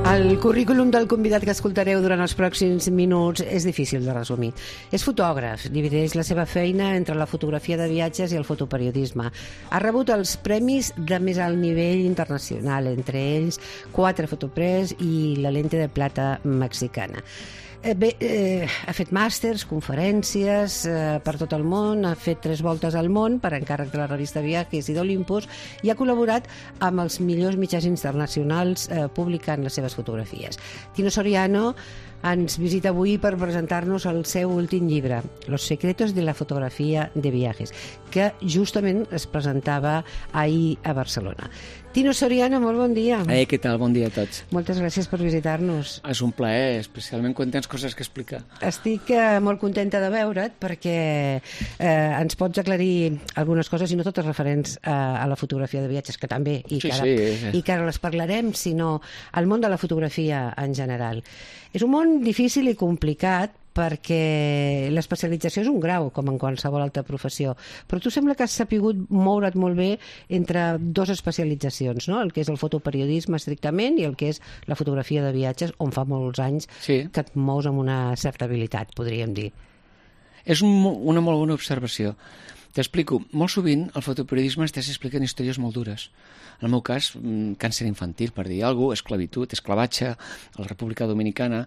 El currículum del convidat que escoltareu durant els pròxims minuts és difícil de resumir. És fotògraf, divideix la seva feina entre la fotografia de viatges i el fotoperiodisme. Ha rebut els premis de més alt nivell internacional, entre ells 4 Fotopres i la Lente de Plata mexicana. Ha fet màsters, conferències per tot el món, ha fet 3 voltes al món per encàrrec de la revista Viajes i d'Olympus i ha col·laborat amb els millors mitjans internacionals publicant les seves fotografies. Tino Soriano ens visita avui per presentar-nos el seu últim llibre, Los secretos de la fotografía de viajes, que justament es presentava ahir a Barcelona. Tino Soriano, molt bon dia. Què tal? Bon dia a tots. Moltes gràcies per visitar-nos. És un plaer, especialment quan tens coses que explicar. Estic molt contenta de veure't perquè ens pots aclarir algunes coses, i no totes referents a la fotografia de viatges, que també, i que ara les parlarem, sinó al món de la fotografia en general. És un món difícil i complicat perquè l'especialització és un grau, com en qualsevol altra professió, però tu sembla que has sapigut moure't molt bé entre 2 especialitzacions, no? El que és el fotoperiodisme estrictament i el que és la fotografia de viatges, on fa molts anys que et mous amb una certa habilitat, podríem dir. És una molt bona observació. T'explico, molt sovint el fotoperiodisme estàs explicant històries molt dures. En el meu cas, càncer infantil, per dir alguna cosa, esclavitud, esclavatge, a la República Dominicana.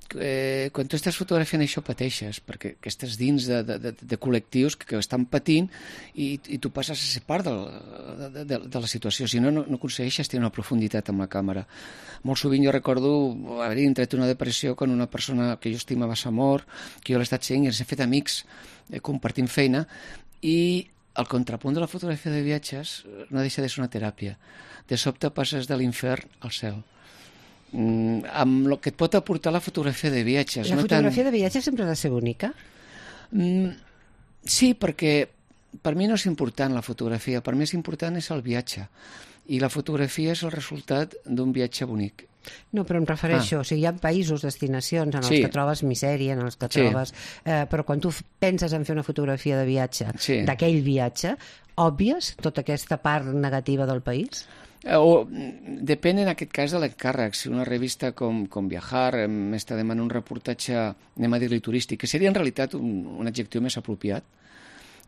Quan tu estàs fotografiant això pateixes, perquè estàs dins de col·lectius que estan patint i tu passes a ser part de la situació. Si no aconsegueixes tenir una profunditat amb la càmera. Molt sovint jo recordo haver entrat en una depressió quan una persona que jo estimava s'ha mort, que jo l'he estat seguint i ens hem fet amics compartint feina, i el contrapunt de la fotografia de viatges no deixa de ser una teràpia. De sobte passes de l'infern al cel. Amb el que et pot aportar la fotografia de viatges. La fotografia de viatges sempre ha de ser bonica? Sí, perquè per mi no és important la fotografia, per mi és important és el viatge. I la fotografia és el resultat d'un viatge bonic. No, però em refereixo, o sigui, hi ha països, destinacions en els que trobes misèria, en els que trobes... Però quan tu penses en fer una fotografia de viatge, d'aquell viatge, òbvies tota aquesta part negativa del país? Depèn en aquest cas de l'encàrrec. Si una revista com Viajar m'està demanant un reportatge, anem a dir-li turístic, que seria en realitat un adjectiu més apropiat,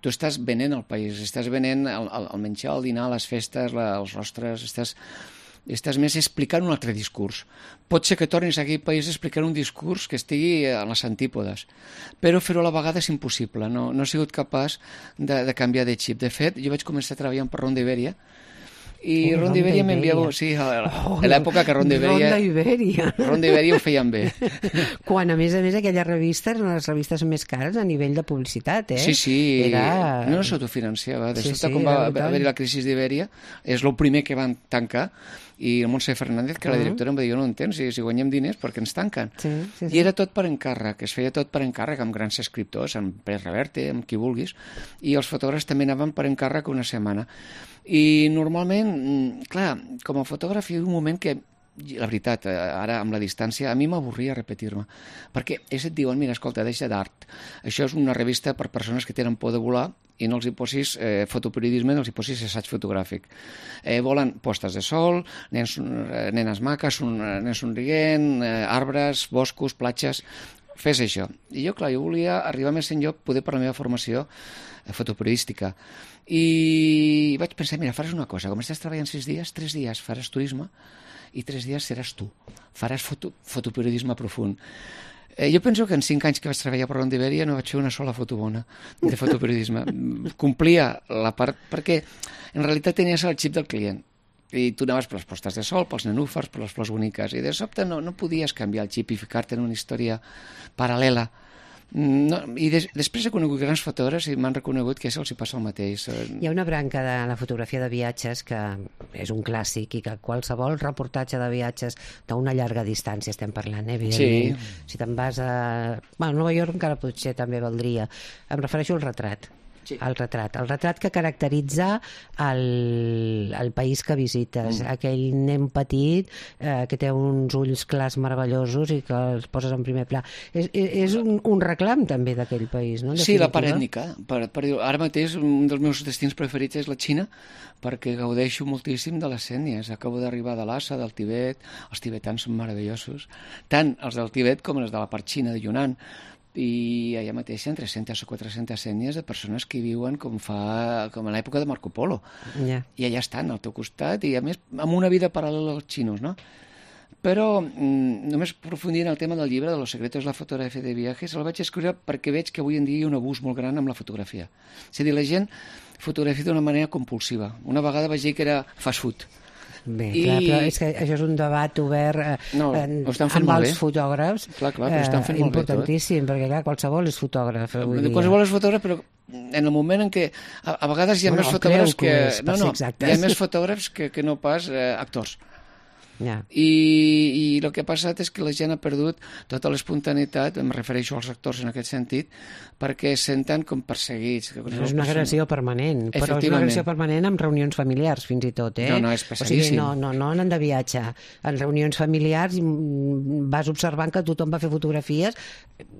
tu estàs venent el país, estàs venent el menjar, el dinar, les festes, els rostres, estàs més explicant un altre discurs. Pot ser que tornis a aquell país explicant un discurs que estigui a les antípodes, però fer-ho a la vegada és impossible. No he sigut capaç de canviar de xip. De fet, jo vaig començar treballant per Ronda Ibèria, i Ronda Ibèria m'enviava... Sí, a l'època que Ronda Ibèria ho feien bé. Quan, a més, aquelles revistes eren les revistes més cares a nivell de publicitat, eh? Sí. No s'autofinanciava. De sobte, quan va haver la crisi d'Ibèria, és el primer que van tancar, i el Montse Fernández, que la directora em va dir, jo no entenc, si guanyem diners, per què ens tanquen? I era tot per encàrrec, es feia tot per encàrrec, amb grans escriptors, amb Pérez Reverte, amb qui vulguis, i els fotògrafs també anaven per encàrrec una setmana. I normalment, clar, com a fotògraf hi ha un moment que, la veritat, ara amb la distància, a mi m'avorria repetir-me, perquè ells et diuen, mira, escolta, deixa d'art, això és una revista per persones que tenen por de volar i no els hi posis fotoperiodisme, no els hi posis assaig fotogràfic. Volen postes de sol, nenes maques, nens somrient, arbres, boscos, platges... Fes això. I jo, clar, jo volia arribar més enllà, poder per la meva formació fotoperiodística. I vaig pensar, mira, faràs una cosa, com estàs treballant 6 dies, 3 dies faràs turisme i 3 dies seràs tu. Faràs fotoperiodisme profund. Jo penso que en 5 anys que vaig treballar per Ronda Ibèria no vaig fer una sola foto bona de fotoperiodisme. Complia la part... perquè en realitat tenies el xip del client. I tu anaves per les postes de sol, pels nenúfars, per les flors boniques, i de sobte no podies canviar el xip i ficar-te en una història paral·lela. I després he conegut grans fotògrafs i m'han reconegut que això els hi passa el mateix. Hi ha una branca de la fotografia de viatges que és un clàssic i que qualsevol reportatge de viatges d'una llarga distància estem parlant, evidentment. Si te'n vas a Nova York encara potser també valdria. Em refereixo al retrat. el retrat que caracteritza el país que visites, aquell nen petit que té uns ulls clars meravellosos i que els poses en primer pla. És un reclam també d'aquell país, no? Sí, la part ètnica. Ara mateix un dels meus destins preferits és la Xina, perquè gaudeixo moltíssim de les ètnies. Acabo d'arribar de Lhasa, del Tibet, els tibetans són meravellosos, tant els del Tibet com els de la part xina de Yunnan, i allà mateix hi ha 300 o 400 ètnies de persones que viuen com a l'època de Marco Polo. I allà estan, al teu costat, i a més amb una vida paral·lela als xinos, no? Però només aprofundir en el tema del llibre de Los secretos de la fotografia de viajes, el vaig escriure perquè veig que avui en dia hi ha un abús molt gran amb la fotografia. És a dir, la gent fotografia d'una manera compulsiva. Una vegada vaig dir que era fast food. Bé, clar, però és que això és un debat obert amb els fotògrafs importantíssim, perquè clar, qualsevol és fotògraf avui dia. Qualsevol és fotògraf, però en el moment en què a vegades hi ha més fotògrafs hi ha més fotògrafs que no pas actors. I el que ha passat és que la gent ha perdut tota l'espontaneïtat, em refereixo als actors en aquest sentit, perquè es senten com perseguits. És una agressió permanent, però és una agressió permanent amb reunions familiars, fins i tot. No, és pesadíssim. O sigui, no anant de viatge. En reunions familiars vas observant que tothom va fer fotografies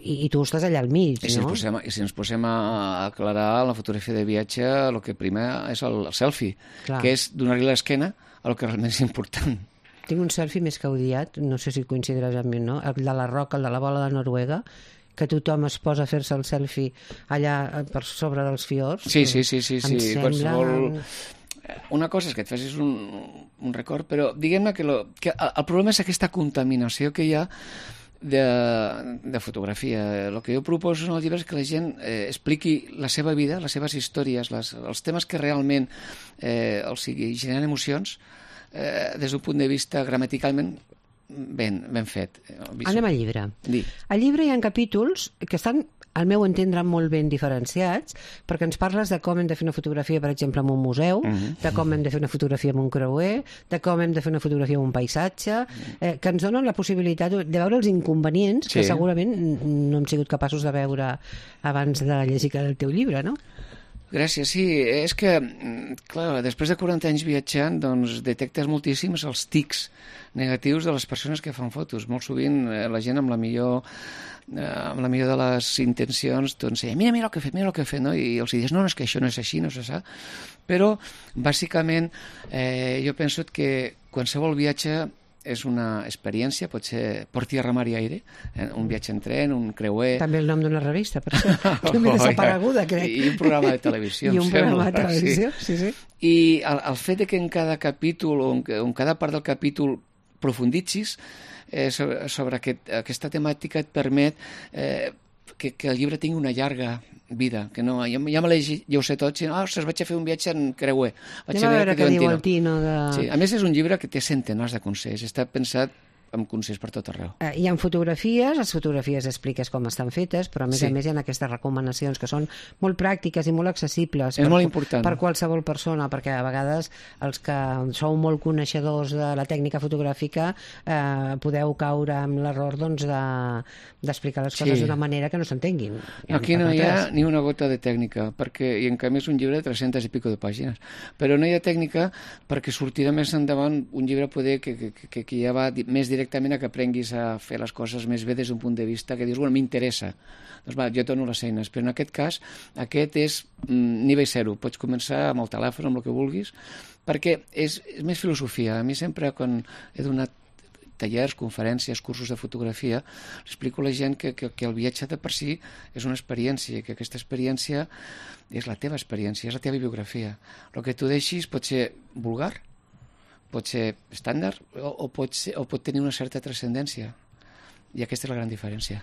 i tu estàs allà al mig, no? I si ens posem a aclarar la fotografia de viatge, el que prima és el selfie, que és donar-li l'esquena a el que realment és important. Tinc un selfie més que odiat, no sé si coincidiràs amb mi, no? El de la roca, el de la bola de Noruega, que tothom es posa a fer-se el selfie allà per sobre dels fiords. Sí. Qualsevol... Una cosa és que et facis un record, però diguem-ne que el problema és aquesta contaminació que hi ha de fotografia. El que jo proposo en el llibre és que la gent expliqui la seva vida, les seves històries, els temes que realment els generen emocions, des d'un punt de vista gramaticalment ben fet. Anem al llibre. Al llibre hi ha capítols que estan, al meu entendre, molt ben diferenciats, perquè ens parles de com hem de fer una fotografia, per exemple, en un museu, de com hem de fer una fotografia en un creuer, de com hem de fer una fotografia en un paisatge, que ens donen la possibilitat de veure els inconvenients que segurament no hem sigut capaços de veure abans de llegir el teu llibre, no? Gràcies, sí. És que, clar, després de 40 anys viatjant, doncs detectes moltíssims els tics negatius de les persones que fan fotos. Molt sovint la gent amb la millor de les intencions, doncs, mira el que he fet, no? I els dius, no, és que això no és així, no és això. Però, bàsicament, jo penso que qualsevol viatge és una experiència, pot ser por tierra, mar i aire, un viatge en tren, un creuer... També el nom d'una revista, per això. També desapareguda, crec. I un programa de televisió, I un programa de televisió, sí. I el fet que en cada capítol, o en cada part del capítol profunditzis sobre aquesta temàtica et permet que el llibre tingui una llarga vida, que no, ja me l'he llegit, ja ho sé tot, sinó, vaig a fer un viatge en creuer. Vaig a veure què diu el Tino. Sí, a més és un llibre que té centenars de consells, està pensat amb consells per tot arreu. Hi ha fotografies, les fotografies expliques com estan fetes, però a més hi ha aquestes recomanacions que són molt pràctiques i molt accessibles per qualsevol persona, perquè a vegades els que sou molt coneixedors de la tècnica fotogràfica podeu caure amb l'error d'explicar les coses d'una manera que no s'entenguin. Aquí no hi ha ni una gota de tècnica, i en canvi és un llibre de 300 i pico de pàgines, però no hi ha tècnica perquè sortirà més endavant un llibre poder que ja va més directament a que aprenguis a fer les coses més bé des d'un punt de vista que dius, bueno, m'interessa. Doncs va, jo dono les eines, però en aquest cas, aquest és nivell zero. Pots començar amb el telèfon, amb el que vulguis, perquè és més filosofia. A mi sempre, quan he donat tallers, conferències, cursos de fotografia, explico a la gent que el viatge de per si és una experiència, que aquesta experiència és la teva experiència, és la teva biografia. El que tu deixis pot ser vulgar, pot ser estàndard o pot tenir una certa transcendència. I aquesta és la gran diferència.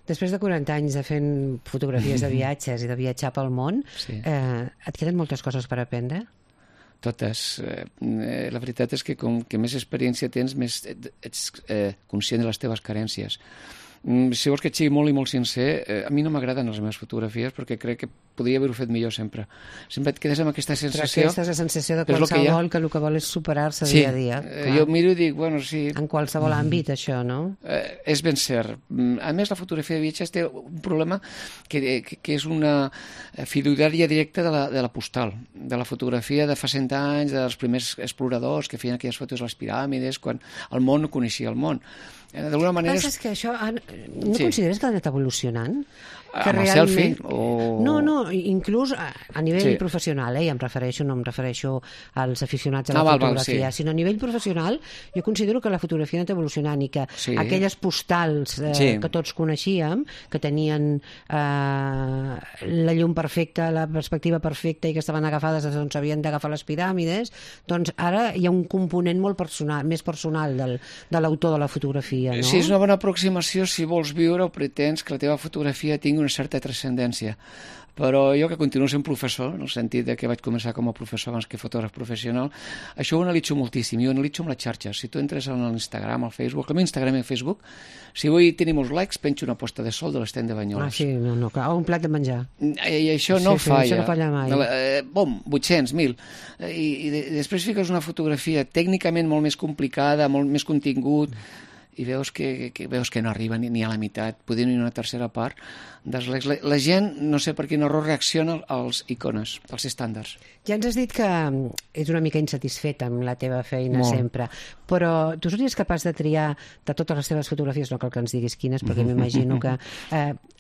Després de 40 anys de fent fotografies de viatges i de viatjar pel món, et queden moltes coses per aprendre? Totes. La veritat és que com que més experiència tens, més ets conscient de les teves carències. Si vols que et sigui molt i molt sincer, a mi no m'agraden les meves fotografies perquè crec que podria haver-ho fet millor sempre. Sempre et quedes amb aquesta sensació... Però aquesta és la sensació de qualsevol que el que vol és superar-se dia a dia. Sí, jo miro i dic, bueno, sí... En qualsevol àmbit, això, no? És ben cert. A més, la fotografia de viatges té un problema que és una fiduciària directa de la postal, de la fotografia de fa 100 anys, dels primers exploradors que feien aquelles fotos a les piràmides, quan el món no coneixia el món. D'alguna manera... Penses que això... No consideres que ha anat evolucionant? Amb el selfie? No, inclús a nivell professional, i em refereixo, no em refereixo als aficionats a la fotografia, sinó a nivell professional, jo considero que la fotografia ha anat evolucionant i que aquelles postals que tots coneixíem, que tenien la llum perfecta, la perspectiva perfecta i que estaven agafades d'on s'havien d'agafar les piràmides, doncs ara hi ha un component molt personal, més personal de l'autor de la fotografia, no? Sí, és una bona aproximació si vols viure o pretens que la teva fotografia tingui una certa transcendència. Però jo, que continuo sent professor, en el sentit que vaig començar com a professor abans que fotògraf professional, això ho analitzo moltíssim. Jo analitzo amb les xarxes. Si tu entres en l'Instagram, al Facebook, al meu Instagram i al Facebook, si vull tenir molts likes, penjo una posta de sol de l'estend de Banyoles. Sí, no, clar, un plat de menjar. I això no falla. Això no falla mai. 800, 1.000. I després fiques una fotografia tècnicament molt més complicada, molt més contingut, i veus que no arriba ni a la meitat, poder ni una tercera part dels likes. La gent, no sé per quin error, reacciona als icones, als estàndards. Ja ens has dit que ets una mica insatisfet amb la teva feina sempre, però tu series capaç de triar de totes les teves fotografies, no cal que ens diguis quines, perquè m'imagino que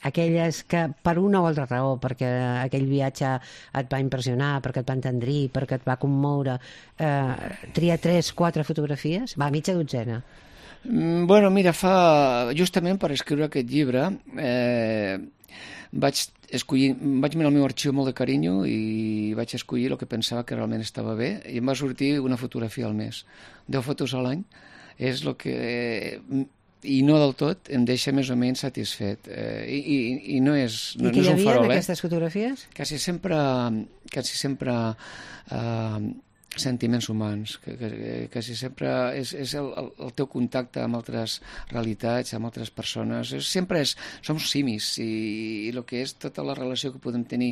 aquelles que per una o altra raó, perquè aquell viatge et va impressionar, perquè et va entendrir, perquè et va commoure, triar 3, 4 fotografies? Va, mitja dotzena. Bueno, mira, justament per escriure aquest llibre vaig mirar el meu arxiu molt de carinyo i vaig escollir el que pensava que realment estava bé i em va sortir una fotografia al mes. 10 fotos a l'any és el que... i no del tot, em deixa més o menys satisfet. I no és un farol. I què hi havia en aquestes fotografies? Quasi sempre sentiments humans, quasi sempre és el teu contacte amb altres realitats, amb altres persones. Som simis i el que és tota la relació que podem tenir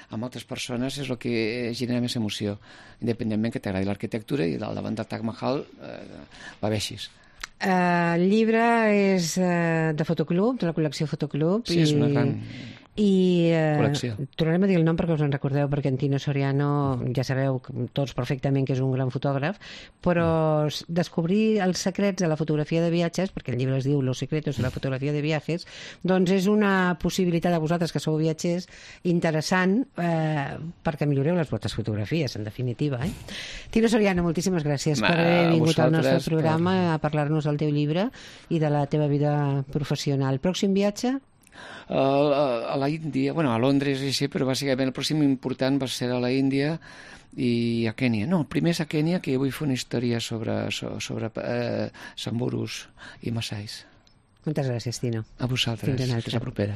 amb altres persones és el que genera més emoció, independentment que t'agradi l'arquitectura i davant del Taj Mahal va bé així. El llibre és de Fotoclub, de la col·lecció Fotoclub. Sí, és una gran col·lecció. Tornarem a dir el nom perquè us en recordeu, perquè en Tino Soriano, ja sabeu tots perfectament que és un gran fotògraf, però descobrir els secrets de la fotografia de viatges, perquè el llibre es diu Los secretos de la fotografia de viajes, doncs és una possibilitat a vosaltres que sou viatgers interessant perquè milloreu les vostres fotografies, en definitiva. Tino Soriano, moltíssimes gràcies per haver vingut al nostre programa a parlar-nos del teu llibre i de la teva vida professional. Pròxim viatge? A la Índia, bueno, a Londres i sí, però bàsicament el pròxim important va ser a la Índia i a Kènia. No, el primer és a Kènia, que vull fer una història sobre samburus i massais. Moltes gràcies, Tino. A vosaltres. Fins a l'altre. Fins a propera.